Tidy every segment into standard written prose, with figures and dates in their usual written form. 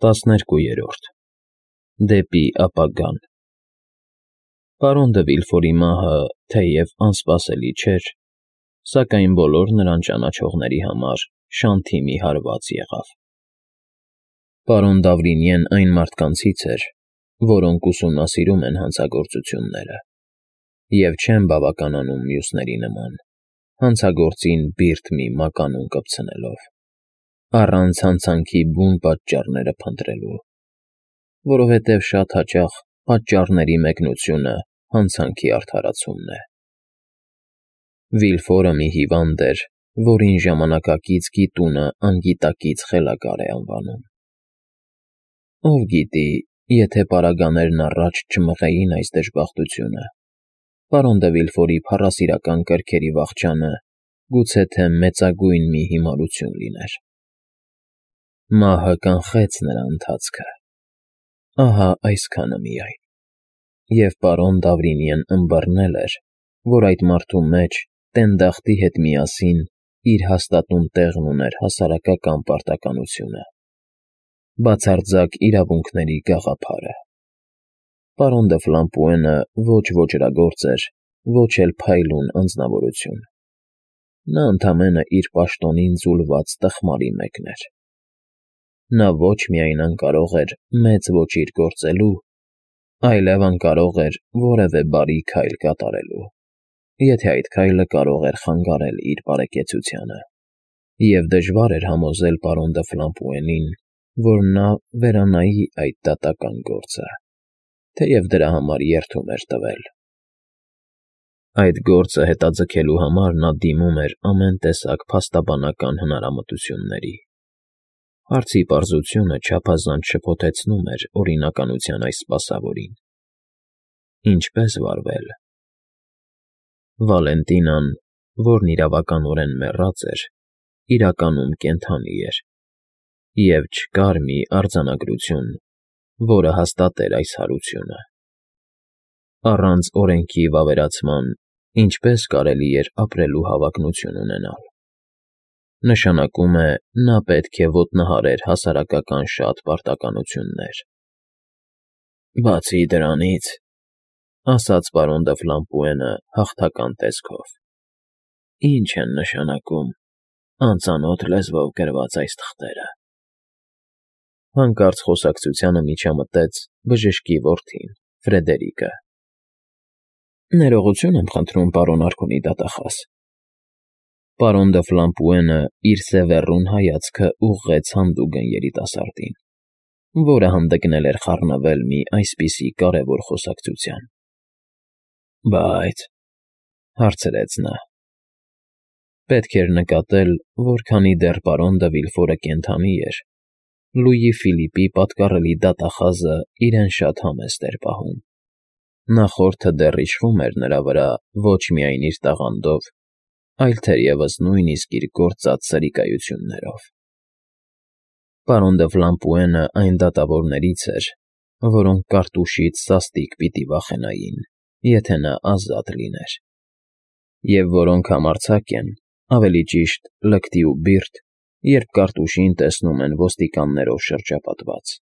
12. Դեպի ապագան Պարոն դը Վիլֆորի մահը, թեև անսպասելի չէր, սակայն բոլոր նրան ճանաչողների համար շանթի մի հարված եղավ։ Պարոն Դավրինիեն այն մարդկանցից էր, որոնք ուսումնասիրում են հանցագործությունները և չեն բավականանում մյուսների նման, հանցագործին բիրտ մի մականուն կպցնելով, առանց հանցանքի բուն պատճառները փնտրելու, որովհետև շատ հաճախ պատճառների մեկնությունը հանցանքի արդարացումն է։ Վիլֆորը մի հիվանդ էր, որին ժամանակակից գիտունը անգիտակից խելագար է անվանում։ Ով գիտի, եթե պարագաներն առաջ չմղեին այս դժբախտությունը, պարոն դը Վիլֆորի փառասիրական կրքերի վախճանը գուցե թե մեծագույն մի հիմարություն լիներ։ Մահը կանխեց նրա ընթացքը, ահա այսքանը միայն, և պարոն Դավրինիեն ըմբռնել էր, որ այդ մարդու մեջ տենդախտի հետ միասին իր հաստատուն տեղն ուներ հասարակական պարտականությունը, բացարձակ իրավունքների գաղափարը։ Պարոն դը Ֆլամպուենը ոչ ոճրագործ էր, ոչ էլ փայլուն անձնավորություն։ Նա ընդամենը իր պաշտոնին ձուլված տխմարի մեկն էր։ Նա ոչ միայն անկարող էր մեծ ոճիր գործելու, այլև անկարող էր որևէ բարի քայլ կատարելու, եթե այդ քայլը կարող էր խանգարել իր բարեկեցությանը, և դժվար էր համոզել պարոն դը Ֆլամպուենին, որ նա վերանայի այդ դատական գործը, թեև դրա համար երդում էր տվել։ Այդ գործը հետաձգելու համար նա դիմում էր ամեն տեսակ փաստաբանական հնարամտությունների։ Հարցի պարզությունը չափազանց շփոթեցնում էր օրինականության այս սպասավորին։ Ինչպե՞ս վարվել։ Վալենտինան, որն իրավականորեն մեռած էր, իրականում կենդանի էր, և չկար մի արձանագրություն, որը հաստատեր այս հարությունը։ Առանց օրենքի վավերացման ինչպե՞ս կարելի էր ապրելու հավակնություն ունենալ։ Նշանակում է, նա պետք է ոտնահարեր հասարակական շատ պարտականություններ։ Բացի դրանից, ասաց պարոն դը Ֆլամպուենը հաղթական տեսքով, ի՞նչ են նշանակում անծանոթ լեզվով գրված այս թղթերը։ Հանկարծ խոսակցությանը միջամտեց բժշկի որդին, Ֆրեդերիկը։ Ներողություն եմ խնդրում, պարոն Արքունի դատախազ։ Պարոն դը Ֆլամպուենը իր սևեռուն հայացքը ուղղեց հանդուգն երիտասարդին, որը հանդգնել էր խառնվել մի այսպիսի կարևոր խոսակցության։ Բայց, հարցրեց նա, պետք էր նկատել, որ քանի դեռ պարոն դը Վիլֆորը կենդանի էր, Լուի Ֆիլիպի պատկառելի դատախազը իրեն շատ համեստ էր պահում։ Նախորդը դեռ իշխում էր նրա վրա ոչ միայն իր տաղանդով, այլ թերևս նույնիսկ իր գործած սրիկայություններով։ Պարոն դը Ֆլամպուենը այն դատավորներից էր, որոնք կարտուշից սաստիկ պիտի վախենային, եթե նա ազատ լիներ, և որոնք համարձակ են, ավելի ճիշտ լկտի ու բիրտ, երբ կարտուշին տեսնում են ոստիկաններով շրջապատված։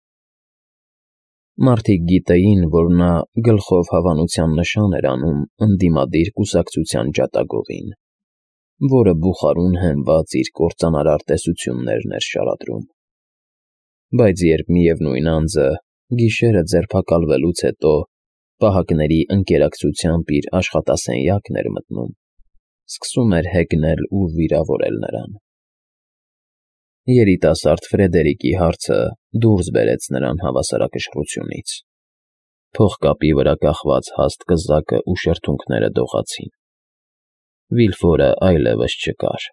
Մարդիկ գիտեին, որ նա գլխով հավանության նշան էր անում ընդդիմադիր կուսակցության ջատագովին, որը բուխարուն հենված իր կործանարար տեսություններն էր շարադրում։ Բայց երբ միևնույն անձը գիշերը ձերբակալվելուց հետո պահակների ընկերակցությամբ իր աշխատասենյակն էր մտնում, սկսում էր հեգնել ու վիրավորել նրան։ Երիտասարդ Ֆրեդերիկի հարցը դուրս բերեց նրան հավասարակշռությունից։ Փողկապի վրա կախված հաստ կզակը ու շրթունքները դողացին։ Վիլֆորը այլևս չկար,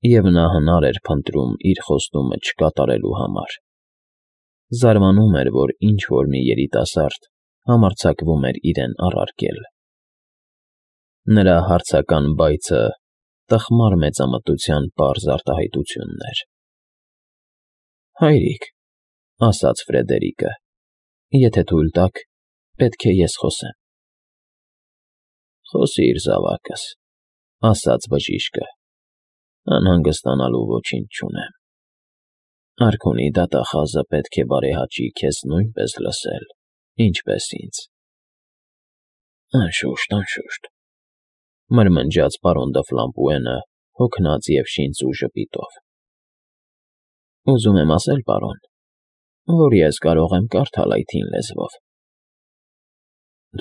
և նա հնար էր փնտրում իր խոստումը չկատարելու համար։ Զարմանում էր, որ ինչ֊որ մի երիտասարդ համարձակվում էր իրեն առարկել։ Նրա հարցական բայցը տխմար մեծամտության պարզ արտահայտությունն էր։ Հայրիկ, ասաց Ֆրեդերիկը, եթե թույլ տաք, պետք է ես խոսեմ։ Խոսիր, զավակս, ասաց բժիշկը, անհանգստանալու ոչինչ չունեմ։ Արքունի դատախազը պետք է բարեհաճի քեզ նույնպես լսել, ինչպես ինձ։ Անշուշտ, մրմնջաց պարոն Դը Ֆլամպուենը, հոգնած և շինծ ու ժպիտով։ Ուզում եմ ասել, պարոն, որ ես կարող եմ կարդալ այդ հին լեզվով։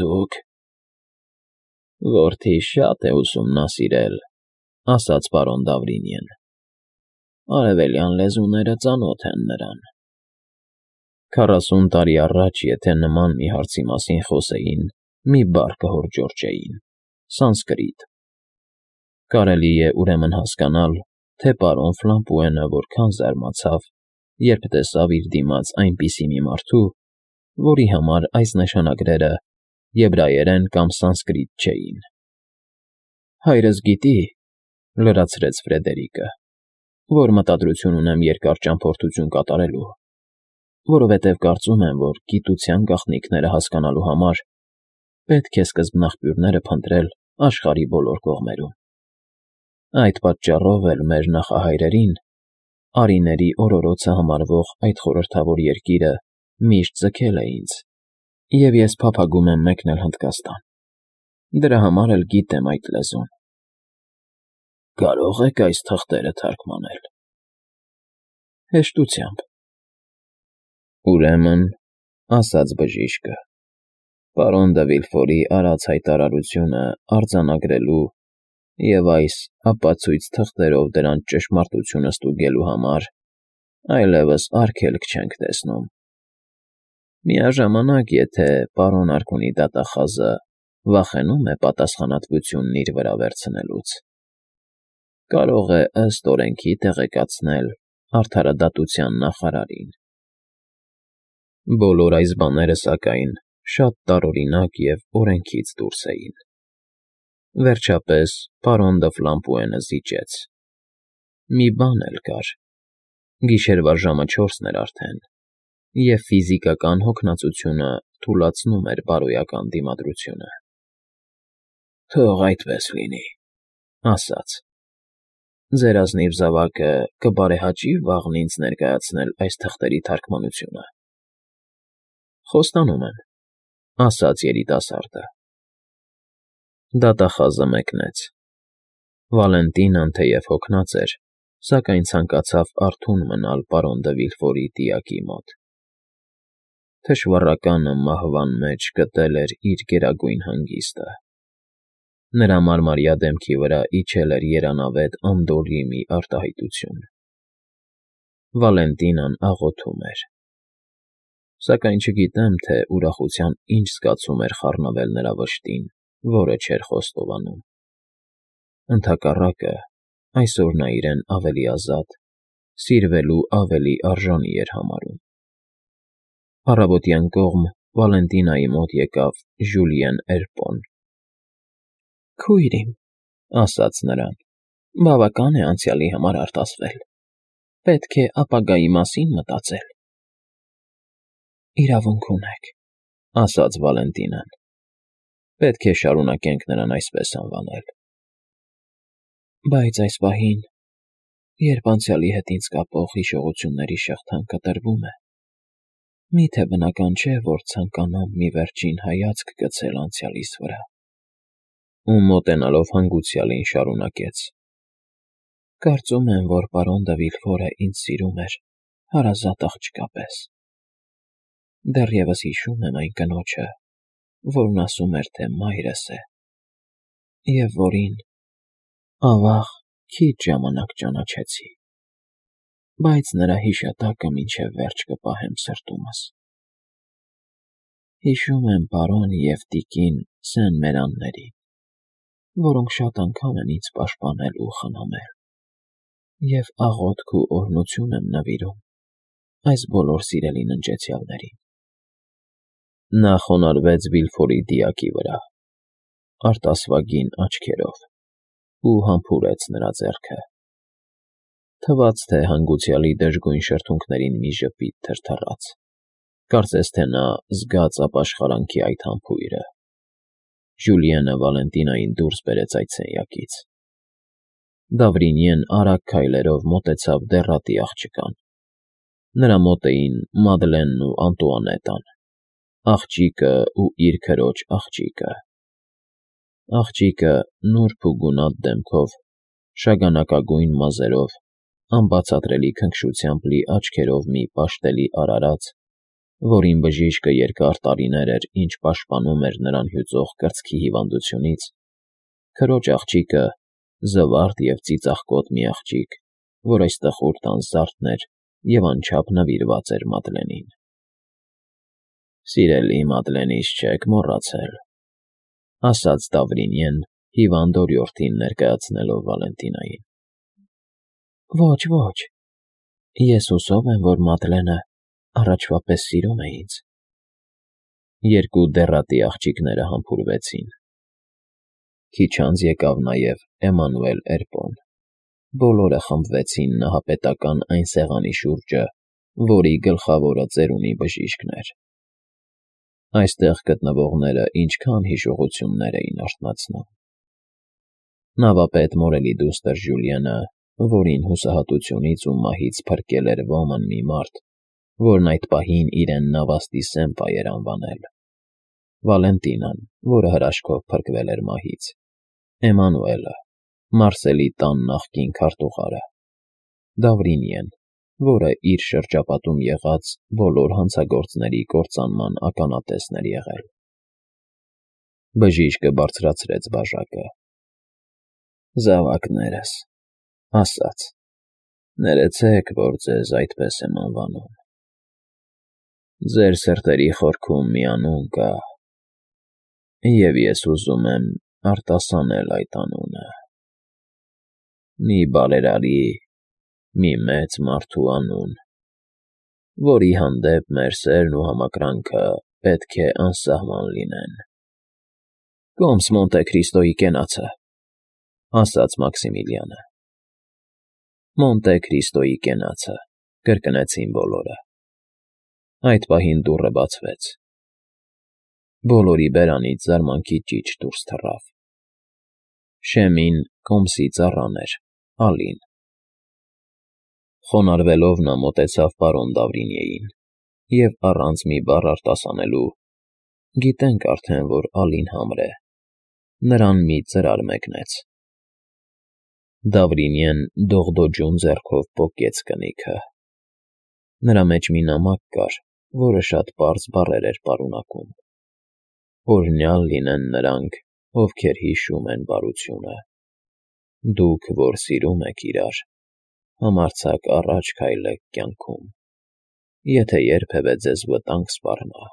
Դուք… Որդիս շատ է ուսումնասիրել, ասաց պարոն Դավրինյեն։ Արևելյան լեզուները ծանոթ են նրան։ 40 տարի առաջ, եթե նման մի հարցի մասին խոսեին, մի բառ կհորջորջեին՝ սանսկրիտ։ Կարելի է ուրեմն հասկանալ, թե պարոն Ֆլամպուենը որքան զարմացավ, երբ տեսավ իր դիմաց այնպիսի մի մարդու, որի համար այս նշանագրերը եբրայերեն կամ սանսկրիտ չէին։ Հայրս գիտի, լրացրեց Ֆրեդերիկը, որ մտադրություն ունեմ երկար ճամփորդություն կատարելու, որովհետև կարծում եմ, որ գիտության գաղտնիքները հասկանալու համար պետք է սկզբնաղբյուրները փնտրել աշխարհի բոլոր կողմերում։ Այդ պատճառով էլ մեր նախահայրերին արիների օրորոցը համարվող այդ խորհրդավոր երկիրը միշտ ձգել է ինձ, և ես փափագում եմ մեկնել Հնդկաստան։ Դրա համար էլ գիտեմ այդ լեզուն։ Կարող եք այս թղթերը թարգմանել։ Հեշտությամբ։ Ուրեմն, ասաց բժիշկը, պարոն Դը Վիլֆորի արած հայտարարությունը արձանագրելու և այս ապացույց թղթերով դրանց ճշմարտությունը ստուգելու համար այլևս արգելք չենք տեսնում։ Միաժամանակ, եթե պարոն Արքունի դատախազը վախենում է պատասխանատվությունն իր վրա վերցնելուց, կարող է ըստ օրենքի տեղեկացնել արդարադատության նախարարին։ Բոլոր այս բաները, սակայն, շատ տարօրինակ և օրենքից դուրս էին։ Վերջապես պարոն Դը Ֆլամպուենը զիջեց. Մի բան էլ կար. գիշերվա ժամը 4-ն էր արդեն, և ֆիզիկական հոգնածությունը թուլացնում էր բարոյական դիմադրությունը։ Թող այդպես լինի, ասաց. Ձեր ազնիվ զավակը կբարեհաճի վաղն ինձ ներկայացնել այս թղթերի թարգմանությունը։ Խոստանում եմ, ասաց երիտասարդը։ Դատախազը մեկնեց։ Վալենտինան թեև հոգնած էր, սակայն ցանկացավ արթուն մնալ պարոն Դը Վիլֆորի տիակի մոտ։ Թշվառականը մահվան մեջ գտել էր իր գերագույն հանգիստը։ Նրա մարմարյա դեմքի վրա իջել էր երանավետ անդորրի մի արտահայտություն։ Վալենտինան աղոթում էր։ Սակայն չգիտեմ, թե ուրախության ինչ զգացում էր խառնվել նրա վշտին, որը չէր խոստովանում։ Ընդհակառակը, այսօր նա իրեն ավելի ազատ, սիրվելու ավելի արժանի էր համարում։ Առավոտյան կողմ Վալենտինայի մոտ եկավ Ժուլիեն Էրպոն։ Քույր իմ, ասաց նրան, բավական է անցյալի համար արտասվել։ Պետք է ապագայի մասին մտածել։ Իրավունք ունեք, ասաց Վալենտինան։ Պետք է շարունակենք նրան այսպես անվանել։ Բայց այս պահին, երբ անցյալի հետ ինձ կապող հիշողությունների շղթան կտրվում է, միթե բնական չէ, որ ցանկանամ մի վերջին հայացք գցել անցյալիս վրա։ Ու մոտենալով հանգուցյալին շարունակեց. Կարծում եմ, որ պարոն Դը Վիլֆորը ինձ սիրում էր հարազատ աղջկա պես։ Դեռևս հիշում եմ այն կնոջը, որն ասում էր, թե մայրս է, և որին, ավաղ, քիչ ժամանակ ճանաչեցի, բայց նրա հիշատակը մինչև վերջ կպահեմ սրտումս։ Հիշում եմ պարոն և տիկին Սեն֊Մերաններին, որոնք շատ անգամ են ինձ պաշտպանել ու խնամել, և աղոթք ու օրհնություն եմ նվիրում այս բոլոր սիրելի ննջեցյալներին։ Նա խոնարհվեց Վիլֆորի դիակի վրա, արտասվագին աչքերով, ու համբուրեց նրա ձեռքը։ Թվաց, թե հանգուցյալի դժգույն շրթունքներին մի ժպիտ թրթռաց, կարծես թե նա զգաց ապաշխարանքի այդ համբույրը։ Ժուլիենը Վալենտինային դուրս բերեց այդ սենյակից։ Դավրինյեն արագ քայլերով մոտեցավ դեռատի աղջկան, Նրա մոտ էին Մադլենն ու Անտուանետան, աղջիկը ու իր քրոջ աղջիկը։ Աղջիկը նուրբ ու գունատ դեմքով, շագանակագույն մազերով, անբացատրելի քնքշությամբ լի աչքերով մի պաշտելի արարած, որին բժիշկը երկար տարիներ էր ինչ պաշտպանում էր նրան հյուծող կրծքի հիվանդությունից, քրոջ աղջիկը զվարթ և ծիծաղկոտ մի աղջիկ, որ այս տխուր տան զարդն էր և անչափ նվիրված էր Մադլենին։ «Սիրելի Մադլենից չեք մոռացել», ասաց Դավրինյեն հիվանդ օրիորդին ներկայացնելով Վալենտինային։ «Ոչ, ոչ, ես հուսով եմ, որ Մադլենը առաջվա պես սիրում է ինձ»։ Երկու դեռատի աղջիկները համբուրվեցին։ Քիչ անց եկավ նաև Էմանուել Էրպոն։ Բոլորը խմբվեցին նահապետական այն սեղանի շուրջը, որի գլխավորը ծերունի բժիշկն էր։ Այստեղ գտնվողները ինչքան հիշողություններ էին արթնացնում։ Նավապետ Մորելի դուստր Ժուլիենը, որին հուսահատությունից ու մահից փրկել էր ոմն մի մարդ, որն այդ պահին իրեն Նավաստի Սեմպա էր անվանել, Վալենտինան, որը հրաշքով փրկվել էր մահից, Էմանուելը, Մարսելի տան նախկին քարտուղարը, Դավրինիեն, որը իր շրջապատում եղած բոլոր հանցագործների կործանման ականատեսն էր եղել։ Բժիշկը բարձրացրեց բաժակը։ «Զավակներս», ասաց, «ներեցեք, որ ձեզ այդպես եմ անվանում։ Ձեր սրտերի խորքում մի անուն կա, և ես ուզում եմ արտասանել այդ անունը։ Մի բարերարի, մի մեծ մարդու անուն, որի հանդեպ մեր սերն ու համակրանքը պետք է անսահման լինեն»։ «Կոմս Մոնտե Քրիստոյի կենացը», ասաց Մաքսիմիլիանը։ «Մոնտե Քրիստոյի կենացը», կրկնեցին բոլորը։ Այդ պահին դուռը բացվեց։ Բոլորի բերանից զարմանքի ճիչ դուրս թռավ։ Շեմին Կոմսի ծառան էր, Ալին։ Խոնարհվելով նա մոտեցավ պարոն Դավրինիեին և առանց մի բառ արտասանելու (գիտենք արդեն, որ Ալին համր է) նրան մի ծրար մեկնեց։ Դավրինիեն դողդոջուն ձեռքով պոկեց կնիքը։ Նրա մեջ մի նամակ կար, որը շատ պարզ բառեր էր պարունակում. «Օրհնյալ լինեն նրանք, ովքեր հիշում են բարությունը։ Դուք, որ սիրում եք իրար, համարձակ առաջ քայլեք կյանքում։ Եթե երբևէ ձեզ վտանգ սպառնա,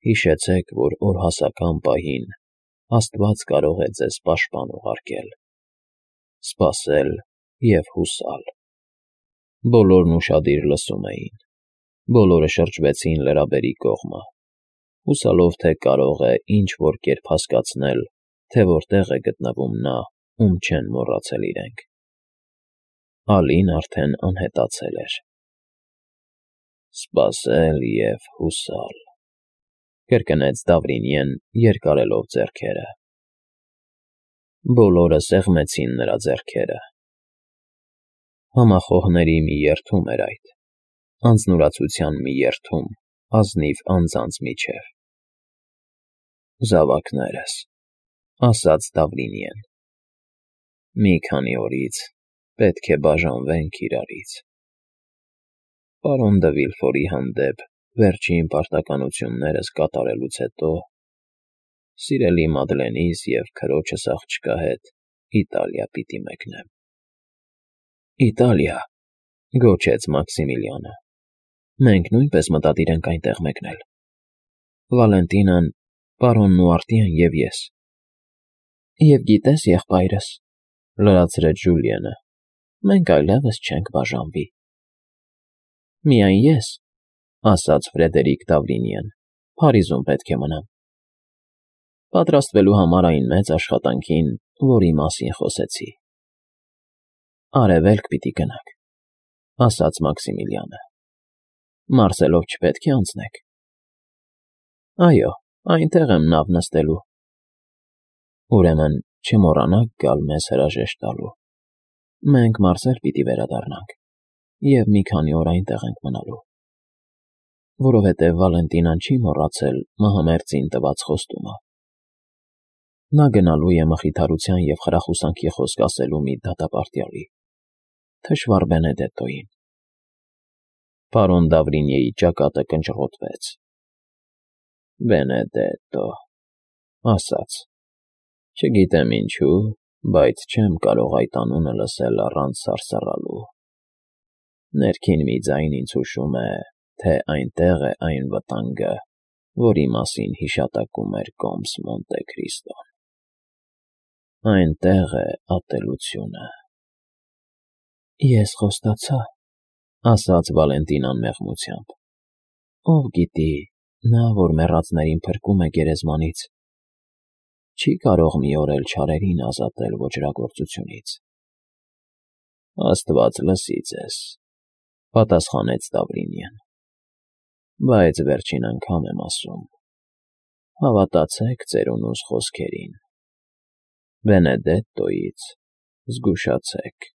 հիշեցեք, որ օրհասական պահին Աստված կարող է ձեզ պաշտպան ուղարկել, սպասել և հուսալ»։ Բոլորն ուշադիր լսում էին։ Բոլորը շրջվեցին լրաբերի կողմը, հուսալով, թե կարող է ինչ-որ կերպ հասկացնել, թե որտեղ է գտնվում նա, ում չեն մոռացել իրենք։ Ալին արդեն անհետացել էր։ «Սպասել և հուսալ», կրկնեց Դավրինիեն, երկարելով ձեռքերը։ Բոլորը սեղմեցին նրա ձեռքերը։ Համախոհների մի երդում էր այդ, անձնուրացության մի երդում ազնիվ անձանց միջև։ «Զավակներս», ասաց Դավրինիեն, «մի քանի օրից պետք է բաժանվենք իրարից։ Պարոն դը Վիլֆորի հանդեպ վերջին պարտականություններս կատարելուց հետո սիրելի Մադլենիս և քրոջս աղջկա հետ Իտալիա պիտի մեկնեմ»։ «Իտալիա», գոչեց Մաքսիմիլիանը, «մենք նույնպես մտադիր ենք այնտեղ մեկնել։ Վալենտինան, պարոն Նուարտիեն և ես»։ «Եվ գիտես, եղբայրս», լրացրեց Ժուլիենը, «մենք այլևս չենք բաժանվի»։ «Միայն ես», ասաց Ֆրեդերիկ Դավրինիեն, «Փարիզում պետք է մնամ, պատրաստվելու համար այն մեծ աշխատանքին, որի մասին խոսեցի»։ «Արևելք պիտի գնաք», ասաց Մաքսիմիլիանը, «Մարսելով չպետք է անցնեք»։ «Այո, այնտեղ եմ նավ նստելու»։ «Ուրեմն չմոռանաք գալ մեզ հրաժեշտ տալու։ Մենք մարսել պիտի վերադառնանք»։ և մի քանի օր այնտեղ ենք մնալու, որովհետև Վալենտինան չի մոռացել մահամերձին տված խոստումը. նա գնալու է մխիթարության և խրախուսանքի խոսք ասելու մի դատապարտյալի, թշվառ Բենեդետտոյին։ Պարոն Դավրինյեի ճակատը կնճռոտվեց։ Բենեդետտո, ասաց. չգիտեմ ինչու, բայց չեմ կարող այդ անունը լսել առանց սարսռալու։ Ներքին մի ձայն ինձ հուշում է, թե այնտեղ է այն վտանգը, որի մասին հիշատակում էր կոմս Մոնտե Քրիստոն։ Այնտեղ է ատելությունը։ Ես խոստացա, ասաց Վալենտինան մեղմությամբ։ Ով գիտի, նա, որ մեռածներին փրկում է գերեզմանից, չի կարող մի օր էլ չարերին ազատել ոճրագործությունից։ Աստված լսի ձեզ, պատասխանեց Դավրինյան, բայց վերջին անգամ եմ ասում. հավատացեք ծերունուս խոսքերին, Բենեդետտոյից զգուշացեք։